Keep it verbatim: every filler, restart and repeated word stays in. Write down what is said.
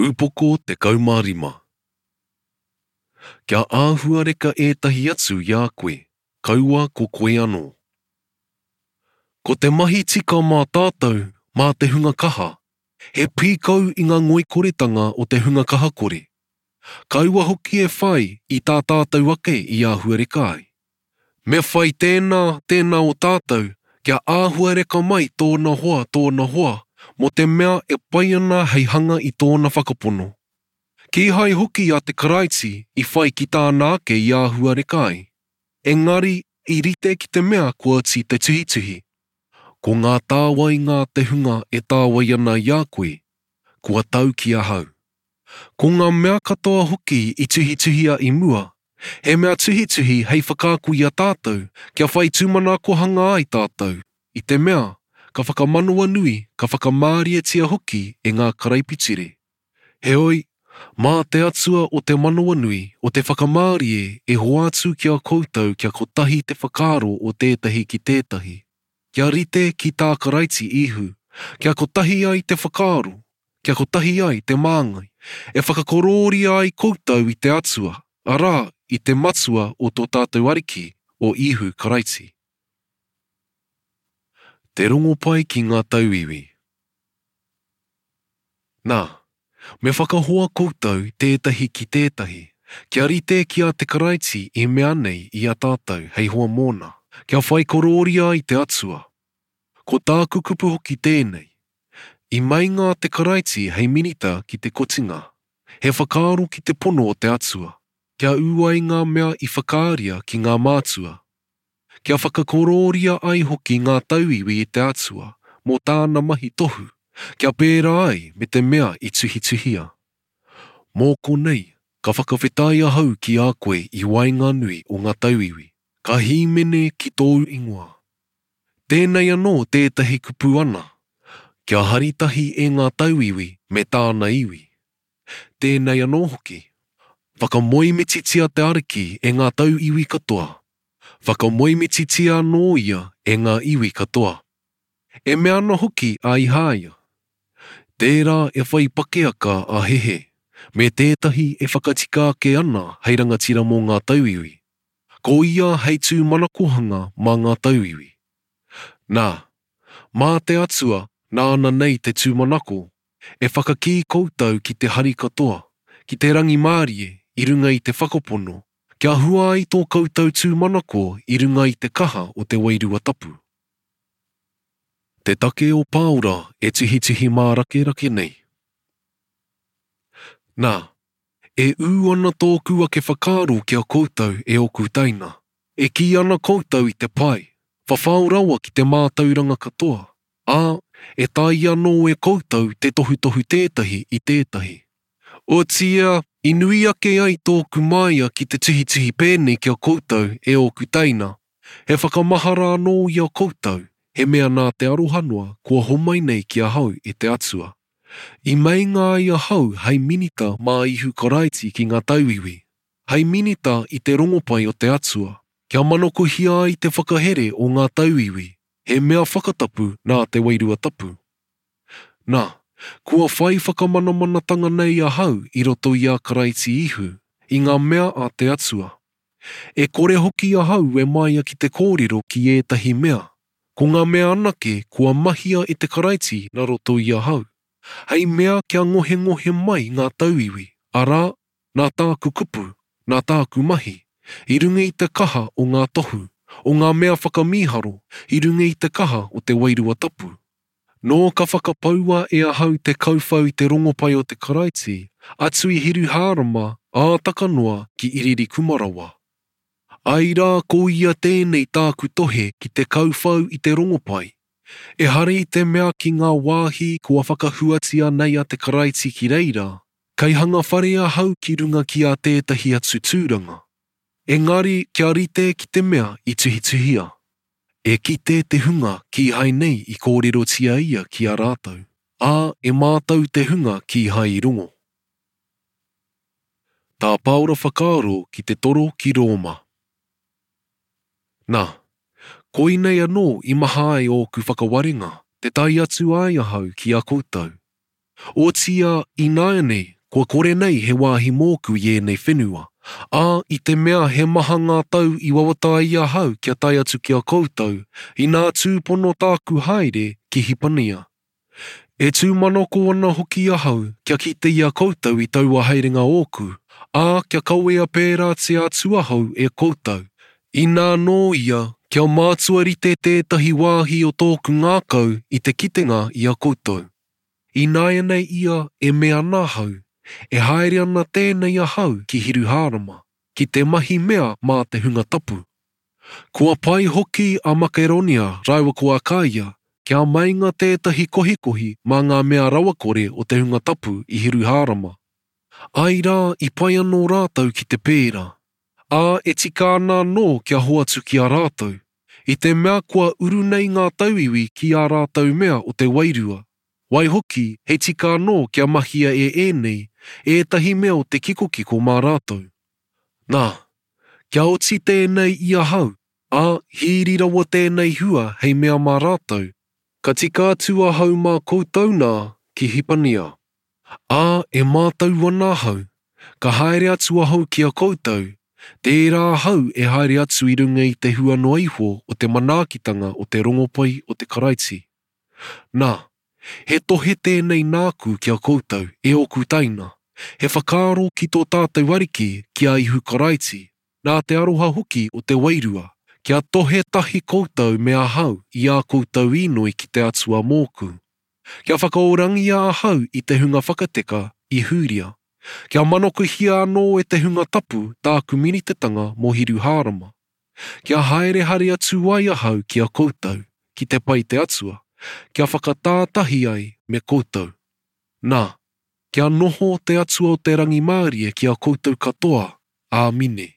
Upoko tekau mā rima. Kia āhuareka ētahi atu i a koe, kaua ko koe anō. Ko te mahi tika mā tātou, mā te hunga kaha, he pīkau i ngā ngoikoretanga o te hunga kahakore. Kaua hoki e whai i tā tātou ake i āhuareka ai. Me whai tēnā, tēnā o tātou, kia āhuareka mai tōna hoa, tōna hoa, mō te mea e pai ana hei hanga i tōna whakapono. Kīhai hoki a te Karaiti i whai ki tāna ake i āhuareka ai. Engari, i rite ki te mea kua oti te tuhituhi. Ko ngā tāwainga a te hunga e tāwai ana i a koe, kua tau ki ahau. Ko ngā mea katoa hoki i tuhituhia i mua, he mea tuhituhi hei whakaako i a tātou kia whai tūmanakohanga ai tātou, i te mea ka whakamanawanui, ka whakamārietia hoki e ngā karaipiture. Heoi, mā te Atua o te manawanui, o te whakamārie e hoatu ki a koutou kia kotahi te whakaaro o tētahi ki tētahi, kia rite ki tā Karaiti Īhu, kia kotahi ai te whakaaro, kia kotahi ai te māngai, e whakakorōria ai koutou i te Atua, arā, i te Matua o tō tātou Ariki, o Īhu Karaiti. Te rongopai ki ngā tauiwi. Nā, me whakahoa koutou tētahi ki tētahi, kia rite ki a te Karaiti i mea nei i a tātou hei hoa mōna, kia whai korōria ai te Atua. Ko tāku kupu hoki tēnei. I meinga a te Karaiti hei minita ki te kotinga, he whakaaro ki te pono o te Atua, kia ū ai ngā mea i whakaaria ki ngā mātua, kia whakakorōria ai hoki ngā tauiwi i te Atua mō tāna mahi tohu, kia pērā ai me te mea i tuhituhia. Mō konei, ka whakawhetai ahau ki a koe i waenganui o ngā tauiwi, ka hīmene ki tōu ingoa. Tēnei anō tētahi kupu ana, kia hari tahi e ngā tauiwi me tāna iwi. Tēnei anō hoki, whakamoemititia te Ariki e ngā tauiwi katoa, whakamoemititia anō ia e ngā iwi katoa. E mea ana hoki a Ihāia, tērā e whai pakeaka a Hehe, me tētahi e whakatika ake ana hei rangatira mō ngā tauiwi. Ko ia hei tūmanakohanga mā ngā tauiwi. Nā, mā te Atua nāna nei te tūmanako, e whakakī koutou ki te hari katoa, ki te rangimārie i runga i te whakapono, kia hua ai tō koutou tūmanako i runga i te kaha o te Wairua Tapu. Te take o Pāora e tuhituhi mārakerake nei. Nā, e ū ana tōku ake whakaaro ki a koutou e ōku teina, e kī ana koutou i te pai, whawhao rawa ki te mātauranga katoa, ā, e taea anō e koutou te tohutohu tētahi i tētahi. Otiia, i nui ake ai tōku māia ki te tuhituhi pēnei ki a koutou e ōku teina, he whakamahara anō i a koutou, he mea nā te aroha noa kua homai nei ki ahau e te Atua. I meinga ai ahau hei minita mā Īhu Karaiti ki ngā tauiwi, hei minita i te rongopai o te Atua, kia manakohia ai te whakahere o ngā tauiwi, he mea whakatapu nā te Wairua Tapu. Nā, kua whai whakamanamanatanga nei ahau i roto i a Karaiti Īhu, i ngā mea a te Atua. E kore hoki ahau e māia ki te kōrero ki ētahi mea, ko ngā mea anake kua mahia e te Karaiti nā roto i ahau, hei mea kia ngohengohe mai ngā tauiwi, arā, nā tāku kupu, nā tāku mahi, i runga i te kaha o ngā tohu, o ngā mea whakamīharo, i runga i te kaha o te Wairua Tapu. Nō ka whakapaua e ahau te kauwhau i te rongopai o te Karaiti, atu i Hiruhārama, ā taka noa ki Iririkuma rawa. Ai rā ko ia tēnei tāku tohe ki te kauwhau i te rongopai. Ehara i te mea ki ngā wāhi kua whakahuatia nei a te Karaiti ki reira, kei hanga whare ahau ki runga ki a tētahi atu tūranga. Engari kia rite ki te mea i tuhituhia. E kite te hunga kīhai nei i kōrerotia ia ki a rātou, ā, e mātau te hunga kīhai i rongo. Tā Pāora whakaaro ki te toro ki Rōma. Nā, koinei anō i maha ai ōku whakawarenga, te tae atu ai ahau ki a koutou. Otiia ināianei kua kore nei he wāhi mōku i ēnei whenua, ā, i te mea he maha ngā tau i wawata ai ahau kia tae atu ki a koutou, inā tūpono tāku haere ki Hipania. E tūmanako ana hoki ahau kia kite i a koutou i taua haerenga ōku, ā, kia kawea pērātia atu ahau e koutou. Inā nō ia, kia mātua rite tētahi wāhi o tōku ngākau i te kitenga i a koutou. Ināianei ia e mea ana ahau, e haere ana tēnei ahau ki Hiruhārama, ki te mahi mea mā te hunga tapu. Kua pai hoki a Makeronia rāua ko Akaia, kia meinga tētahi kohikohi mā ngā mea rawakore o te hunga tapu i Hiruhārama. Ai rā i pai anō rātou ki te pērā, ā, e tika ana anō kia hoatu ki a rātou, i te mea kua uru nei ngā tauiwi ki ā rātou mea o te wairua. Waihoki, he tika anō kia mahia e ēnei, ētahi mea o te kikokiko mā rātou. Nā, kia oti tēnei i ahau, ā, hīri rawa tēnei hua hei mea mā rātou, ka tika atu ahau mā koutou nā ki Hipania. Ā, e mātau ana ahau, ka haere atu ahau ki a koutou, tērā ahau e haere atu i runga i te hua noa iho o te manaakitanga o te rongopai o te Karaiti. Nā, he tohe tēnei nāku ki a koutou, e ōku teina, he whakaaro ki tō tātou Ariki ki a Ihu Karaiti, nā te aroha hoki o te wairua, kia tohe tahi koutou me ahau i ā koutou īnoi ki te Atua mōku. Kia whakaorangia ahau i te hunga whakateka i Hūria. Kia manokuhia anō e te hunga tapu tāku minitetanga mō Hiruhārama. Kia haere haere atu ai ahau ki a koutou, ki te pai te Atua, kia whakatātahi ai me koutou. Nā, kia noho te Atua o te rangimārie ki a koutou katoa. Āmine.